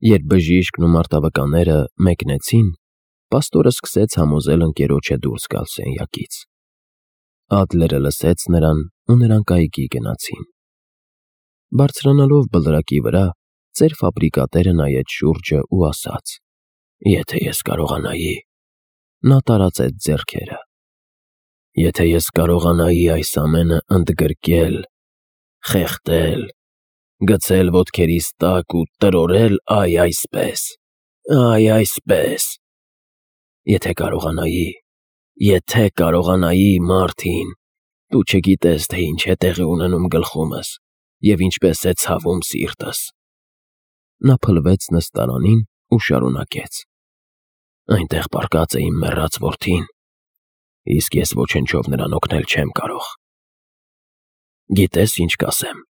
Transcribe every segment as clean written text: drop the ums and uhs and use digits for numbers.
Երբ բժիշկն ու մարտավկանները մեկնեցին, պաստորը սկսեց համոզել ընկերոջը դուրս գալ սենյակից։ Ադլերը լսեց նրան ու նրանք այգի գնացին։ Բարձրանալով բլրակի վրա, ծեր ֆաբրիկատերը նայեց շուրջը ու ասաց. «Եթե ես կարողանայի…» Նա տարածեց ձեռքերը։ «Եթե ես կարողանայի այս ամենը ընդգրկել, խեղդել, գցել ոտքերիս տակ ու տրորել, այ այսպես… Եթե կարողանայի, Մարտին, դու չգիտես, թե ինչ է տեղի ունենում գլխումս և ինչպես է ցավում սիրտս»։ Նա փլվեց նստարանին ու շարունակեց. «Այնտեղ պառկած է իմ մեռած որդին, իսկ ես ոչնչով նրան օգնել չեմ կարող։ Գիտես, ինչ կասեմ…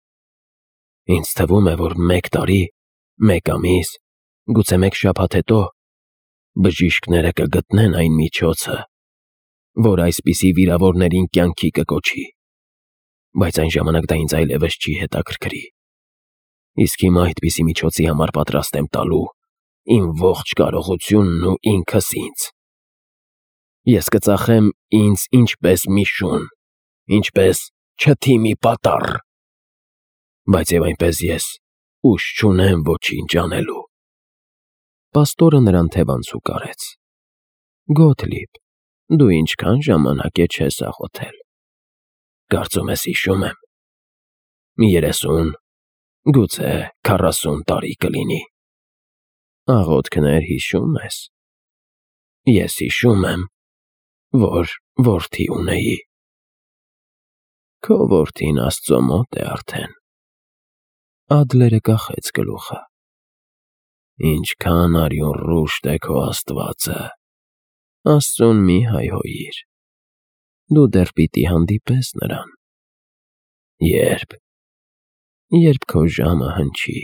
Ինձ թվում է, որ 1 տարի, 1 ամիս, գուցե 1 շաբաթ հետո բժիշկները կգտնեն այն միջոցը, որ այսպիսի վիրավորներին կյանքի կկոչի, բայց այն ժամանակ դա ինձ այլևս չի հետաքրքրի։ Իսկ հիմա այդպիսի միջոցի համար պատրաստ եմ տալու իմ ողջ կարողությունն ու ինքս ինձ։ Ես կծախեմ ինձ ինչպես մի շուն, ինչպես չթի մի պատառ, բայց և այնպես ես ուժ չունեմ ոչինչ անելու»։ Պաստորը նրան թևանցուկ արեց. «Գոթլիբ, դու ինչքան ժամանակ է չես աղոթել»։ «Կարծում ես հիշում եմ… 30, գուցե 40 տարի կլինի»։ «Աղոթքներ հիշում ես»։ «Ես հիշում եմ, որ որդի ունեի»։ «Քո որդին Աստծո մոտ է արդեն»։ Ադլերը կախեց գլուխը։ «Ինչքան արյունռուշտ է քո Աստվածը… Աստծուն մի հայհոյիր, դու դեռ պիտի հանդիպես նրան»։ «Ե՞րբ»։ «Երբ քո ժամը հնչի»։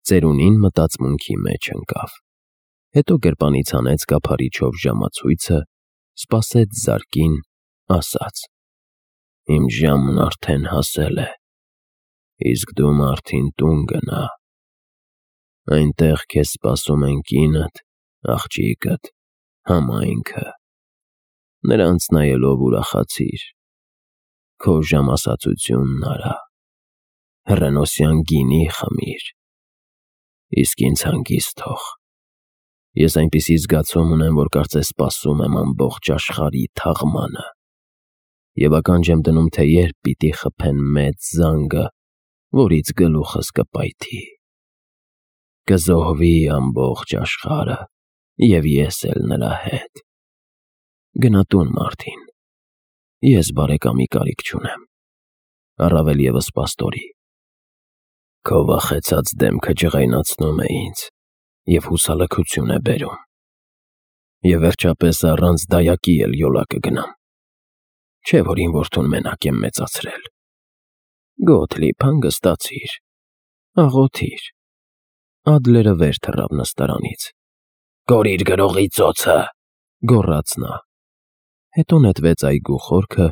Ծերունին մտածմունքի մեջ ընկավ, հետո գրպանից հանեց կափարիչով ժամացույցը, սպասեց զարկին, ասաց. «Իմ ժամն արդեն հասել է, իսկ դու, Մարտին, տուն գնա… Այնտեղ քեզ սպասում են կինդ, աղջիկդ, համայնքը… Նրանց նայելով ուրախացիր, քո ժամասացությունն արա, հռենոսյան գինի խմիր, իսկ ինձ հանգիստ թող… Ես այնպիսի զգացում ունեմ, որ կարծես սպասում եմ ամբողջ աշխարհի թաղմանը… Եվ ականջ եմ դնում, թե երբ պիտի խփեն մեծ զանգը, որից գլուխս կպայթի… Կզոհվի ամբողջ աշխարհը, և ես էլ նրա հետ… Գնա տուն, Մարտին, ես բարեկամի կարիք չունեմ, առավել ևս պաստորի… Քո վախեցած դեմքը ջղայնացնում է ինձ և հուսալքություն է բերում… Եվ վերջապես առանց դայակի էլ յոլա կգնամ… Չէ՞ որ իմ որդուն մենակ եմ մեծացրել… Գոթլիբ, հանգստացիր, աղոթիր»։ Ադլերը վեր թռավ նստարանից։ «Կորիր գրողի ծոցը», գոռաց նա։ Հետո նետվեց այգու խորքը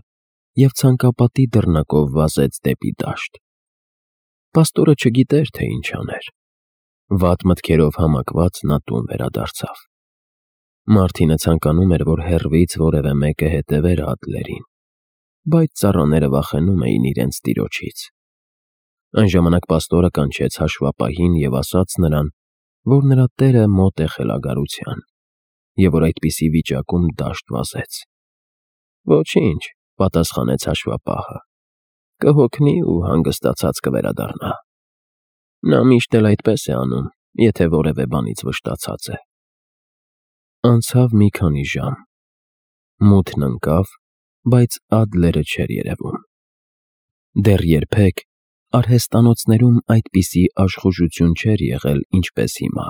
և ցանկապատի դռնակով վազեց դեպի դաշտ։ Պաստորը չգիտեր, թե ինչ աներ։ Վատ մտքերով համակված նա տուն վերադարձավ։ Մարտինը ցանկանում էր, որ հեռվից որևէ մեկը հետևեր Ադլերին, բայց ծառաները վախենում էին իրենց տիրոջից։ Այն ժամանակ պաստորը կանչեց հաշվապահին և ասաց նրան, որ նրա տերը մոտ է խելագարության, և որ այդպիսի վիճակում դաշտ վազեց։ «Ոչինչ», պատասխանեց հաշվապահը, «կհոգնի ու հանգստացած կվերադառնա։ Նա միշտ էլ այդպես է անում, եթե որևէ բանից վշտացած է»։ Անցավ մի քանի ժամ։ Մութն ընկավ, բայց Ադլերը չէր երևում։ Դեռ երբեք արհեստանոցներում այդպիսի աշխուժություն չէր եղել, ինչպես հիմա,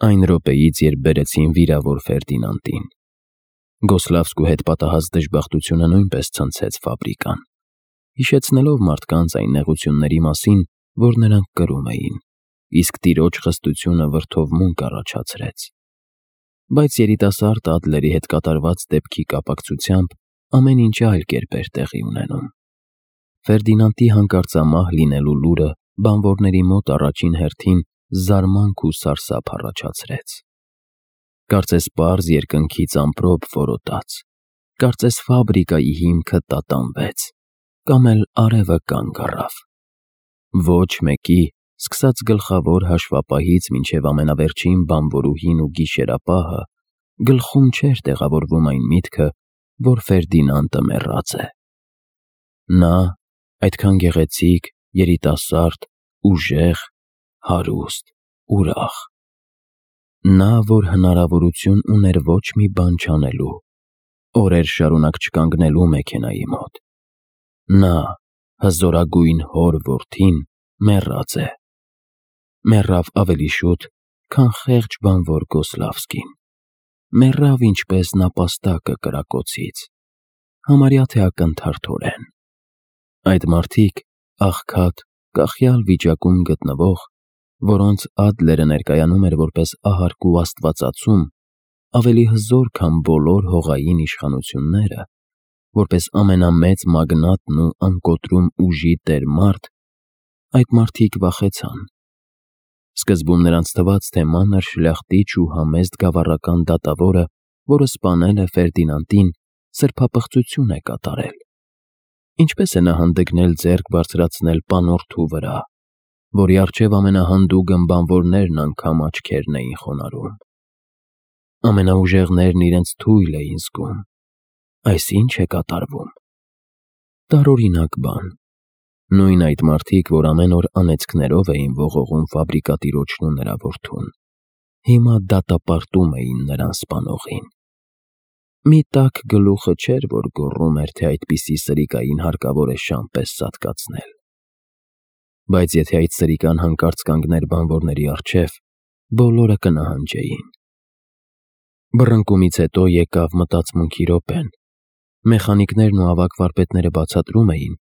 այն րոպեից, երբ բերեցին վիրավոր Ֆերդինանդին։ Գոսլավսկու հետ պատահած դժբախտությունը նույնպես ցնցեց ֆաբրիկան, հիշեցնելով մարդկանց այն նեղությունների մասին, որ նրանք կրում էին, իսկ տիրոջ խստությունը վրդովմունք առաջացրեց։ Բայց երիտասարդ Ադլերի հետ կատարված դեպքի կապակցությամբ ամեն ինչ այլ կերպ էր տեղի ունենում։ Ֆերդինանդի հանկարծամահ լինելու լուրը բանվորների մոտ առաջին հերթին զարմանք ու սարսափ առաջացրեց։ Կարծես պարզ երկնքից ամպրոպ որոտաց, կարծես ֆաբրիկայի հիմքը տատանվեց, կամ էլ արևը կանգ առավ։ Ոչ մեկի, սկսած գլխավոր հաշվապահից մինչև ամենավերջին բանվորուհին ու գիշերապահը, գլխում չէր տեղավորվում այն միտքը, որ Ֆերդինանդը մեռած է։ Նա, այդքան գեղեցիկ, երիտասարդ, ուժեղ, հարուստ, ուրախ։ Նա, որ հնարավորություն ուներ ոչ մի բան չանելու, օրեր շարունակ չկանգնելու մեքենայի մոտ։ Նա, հզորագույն հոր որդին, մեռած է։ Մեռավ ավելի շուտ, քան խեղճ բանվոր Կոսլավսկին։ Մեռավ ինչպես նապաստակը կրակոցից, համարյա թե ակնթարթորեն։ Այդ մարդիկ, աղքատ, կախյալ վիճակում գտնվող, որոնց Ադլերը ներկայանում էր որպես ահարկ ու աստվածացում, ավելի հզոր, քան բոլոր հողային իշխանությունները, որպես ամենամեծ մագնատն ու անկոտրում ուժի տեր մարդ, այդ մարդիկ վախեցան։ Սկզբում նրանց թվաց, թե մանր շլախտիչ ու համեստ գավառական դատավորը, որը սպանել է Ֆերդինանդին, սրբապղծություն է կատարել։ Ինչպես է նա հանդգնել ձեռք բարձրացնել պանորթու վրա, որի առջև ամենահանդուգն բանվորներն անգամ աչքերն էին խոնարհում։ Ամենաուժեղներն իրենց թույլ էին զգում։ Այս ի՞նչ է կատարվում։ Տարօրինակ բան։ Նույն այդ մարդիկ, որ ամեն օր անեծքներով էին ողողում ֆաբրիկատիրոջն ու նրա որդուն, հիմա դատապարտում էին նրան սպանողին։ Մի տաք գլուխը չէր, որ գոռում էր, թե այդպիսի սրիկային հարկավոր է շան պես սատկացնել։ Բայց եթե այդ սրիկան հանկարծ կանգներ բանվորների առջև, բոլորը կնահանջեին։ Բռնկումից հետո եկավ մտածմունքի րոպեն։ Մեխանիկներն ու ավագ վարպետները բացատրում էին,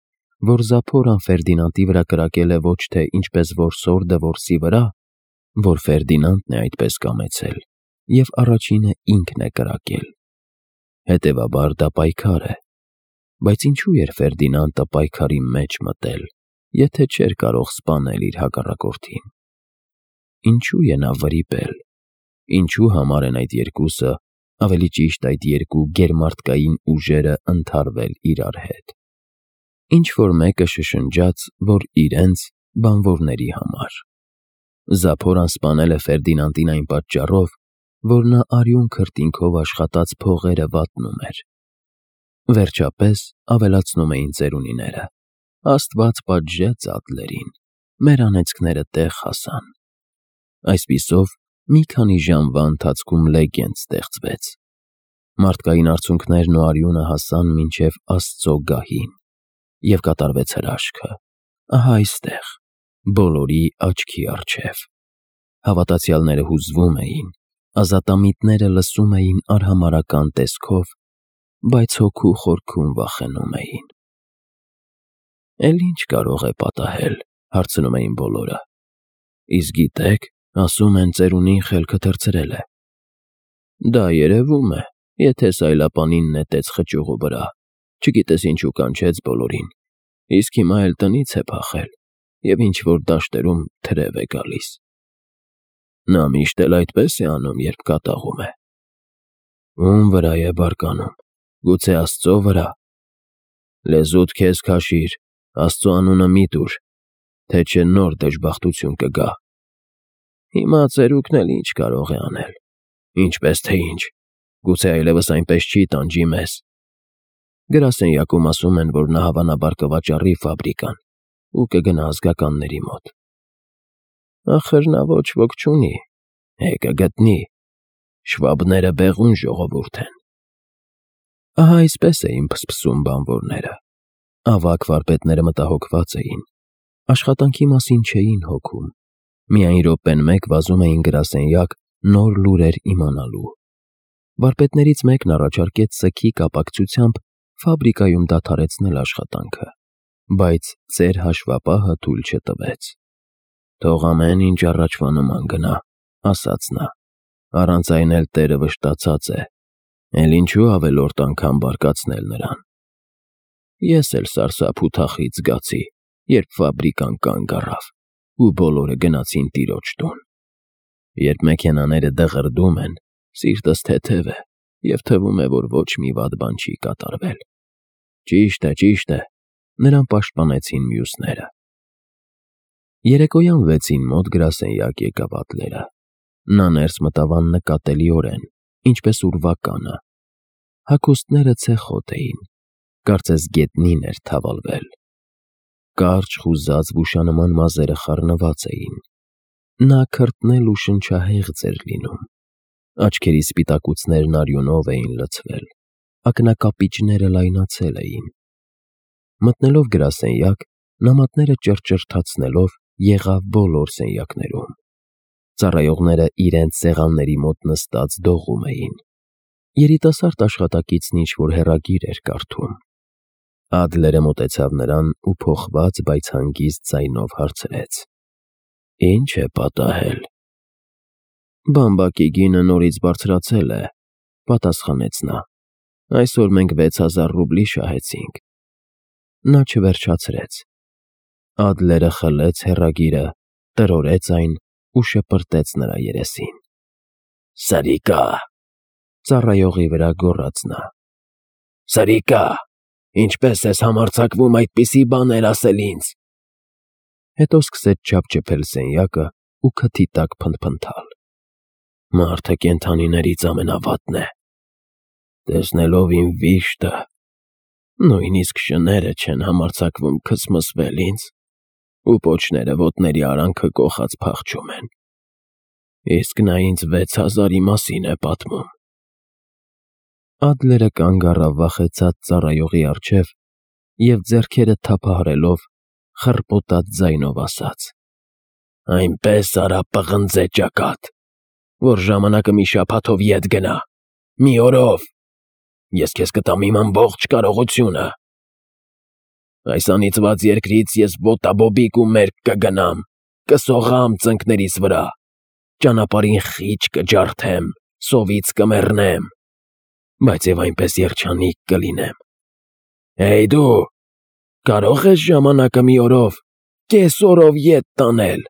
որ Զափորան Ֆերդինանդի վրա կրակել է ոչ թե ինչպես որսորդը որսի վրա, որ Ֆերդինանդն է այդպես կամեցել, և առաջինը ինքն է կրակել։ Հետևաբար դա պայքար է։ Բայց ինչու էր Ֆերդինանդը պայքարի մեջ մտել, եթե չէր կարող սպանել իր հակառակորդին։ Ինչու է նա վրիպել։ Ինչու համար են այդ երկուսը, ավելի ճիշտ այդ երկու գերմարդկային ուժերը ընդհարվել իրար հետ։ Ինչ-որ մեկը շշնջաց, որ իրենց բանվորների համար։ Զափորան սպանել է Ֆերդինանդին այն պատճառով, որ նա արյուն քրտինքով աշխատած փողերը վատնում էր։ Վերջապես ավելացնում էին ծերունիները. Աստված պատժեց Ադլերին, մեր անեծքները տեղ հասան։ Այսպիսով, մի քանի ժամվա ընթացքում լեգենդ ստեղծվեց։ Մարդկային արցունքներն ու արյունը հասան մինչև Աստծո գահին, և կատարվեց հրաշքը, ահա այստեղ, բոլորի աչքի առջև։ Հավատացյալները հուզվում էին, ազատամիտները լսում էին արհամարհական տեսքով, բայց հոգու խորքում վախենում էին։ Էլ ինչ կարող է պատահել, հարցնում էին բոլորը։ Իսկ գիտեք, ասում են ծերունին խելքը թռցրել է։ Դա երևում է, եթե սայլապանին նետեց խճուղու վրա, չգիտես ինչու կանչեց բոլորին, իսկ հիմա էլ տնից է փախել, և ինչ-որ դաշտերում թրև է գալիս։ Նա միշտ էլ այդպես է անում, երբ կատաղում է։ Ում վրա է բարկանում, գուցե Աստծո վրա։ Լեզուդ քեզ քաշիր, Աստծո անունը մի տուր, թե չէ նոր դժբախտություն կգա։ Հիմա ծերուկն էլ ինչ կարող է անել։ Ինչպես թե ինչ, գուցե այլևս այնպես չի տանջի մեզ։ Գրասենյակում ասում են, որ նա հավանաբար կվաճառի ֆաբրիկան ու կգնա ազգականների մոտ։ Ախր նա ոչ ոք չունի, կգտնի։ Շվաբները բեղուն ժողովուրդ են։ Ահա այսպես էին փսփսում բանվորները։ Ավագ վարպետները մտահոգված էին։ Աշխատանքի մասին չէին հոգում։ Միայն րոպեն մեկ վազում էին գրասենյակ նոր լուրեր իմանալու։ Վարպետներից մեկն առաջարկեց սգի կապակցությամբ ֆաբրիկայում դադարեցնել աշխատանքը, բայց ծեր հաշվապահը թույլ չտվեց։ Թող ամեն ինչ առաջվա նման գնա, ասաց նա, առանց այն էլ Տերը վշտացած է, էլ ինչու ավելորդ անգամ բարկացնել նրան։ Ես էլ սարսափ ու թախիծ զգացի, երբ ֆաբրիկան կանգ առավ։ ու բոլորը գնացին տիրոջ տուն։ Երբ մեքենաները դղրդում են, սիրտս թեթև է և թվում է, որ ոչ մի վատ բան չի կատարվել։ Ճիշտ է, նրան պաշտպանեցին մյուսները։ Երեկոյան 6-ին մոտ գրասենյակ եկավ Ադլերը։ Նա ներս մտավ աննկատելիորեն, ինչպես ուրվականը։ Հագուստները ցեխոտ էին, կարծես գետնին էր թավալվել։ Կարճ խուզած վուշանման մազերը խառնված էին։ Նա քրտնել ու շնչահեղձ էր լինում։ Աչքերի սպիտակուցներն արյունով էին լցվել, ակնակապիճները լայնացել էին։ Մտնելով գրասենյակ, նամակները ճռճռթացնելով եղավ բոլոր սենյակներում։ Ծառայողները իրենց սեղանների մոտ նստած դողում էին։ Երիտասարդ աշխատակիցն ինչ-որ հեռագիր էր կարդում։ Ադլերը մոտեցավ նրան ու փոխված, բայց հանգիստ ձայնով հարցրեց. «Ինչ է պատահել»։ «Բամբակի գինը նորից բարձրացել է», պատասխանեց նա։ «Այսօր մենք 6000 ռուբլի շահեցինք»։ Նա չվերջացրեց։ Ադլերը խլեց հեռագիրը, տրորեց այն ու շպրտեց նրա երեսին։ «Սրիկա», ծառայողի վրա գոռաց նա։ «Սրիկա, ինչպես ես համարձակվում այդպիսի բաներ ասել ինձ»։ Հետո սկսեց չափչփել սենյակը ու քթի տակ փնթփնթալ։ «Մարդը կենդանիներից ամենավատն է։ Տեսնելով իմ վիշտը, նույնիսկ շները չեն համարձակվում քսմսվել ինձ ու պոչները ոտների արանքը կոխած փախչում են։ Իսկ նա ինձ 6000-ի մասին է պատմում»։ Ադլերը կանգ առավ վախեցած ծառայողի առջև և ձեռքերը թափահարելով խռպոտած ձայնով ասաց. «Այնպես արա, պղնձե ճակատ, որ ժամանակը մի շաբաթով ետ գնա, մի օրով։ Ես քեզ կտամ իմ ամբողջ կարողությունը։ Այս անիծված երկրից ես ոտաբոբիկ ու մերկ կգնամ, կսողամ ծնկներիս վրա, ճանապարհին խիճ կջարդեմ, սովից կմեռնեմ, բայց և այնպես երջանիկ կլինեմ։ Դու կարո՞ղ ես ժամանակը մի օրով, կես օրով ետ տանել»։